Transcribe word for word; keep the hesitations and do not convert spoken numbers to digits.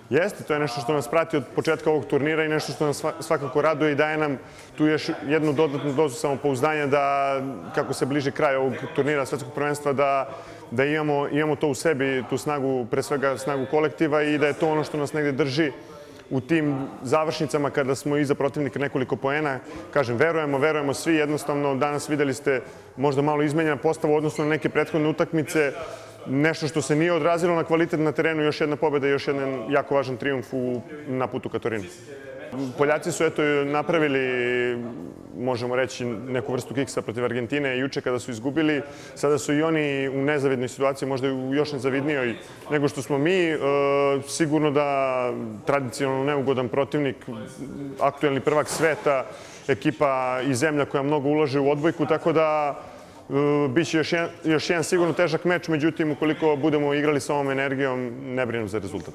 Jeste, to je nešto što nas prati od početka ovog turnira i nešto što nas svakako raduje i daje nam tu još jednu dodatnu dozu samopouzdanja da, kako se bliži kraj ovog turnira svetskog prvenstva, da, da imamo, imamo to u sebi, tu snagu, pre svega snagu kolektiva i da je to ono što nas negde drži u tim završnicama kada smo iza protivnika nekoliko poena. Kažem, verujemo, verujemo svi. Jednostavno, danas videli ste možda malo izmenjena postava u odnosu na neke prethodne utakmice. Nešto što se nije odrazilo na kvalitet na terenu, još jedna pobjeda i još jedan jako važan trijumf na putu ka Torinu. Poljaci su eto napravili, možemo reći, neku vrstu kiksa protiv Argentine juče kada su izgubili. Sada su i oni u nezavidnoj situaciji, možda u još nezavidnijoj nego što smo mi. Sigurno da tradicionalno neugodan protivnik, aktuelni prvak sveta, ekipa i zemlja koja mnogo ulaže u odbojku, tako da biće još jedan, još jedan sigurno težak meč, međutim, ukoliko budemo igrali sa ovom energijom, ne brinem za rezultat.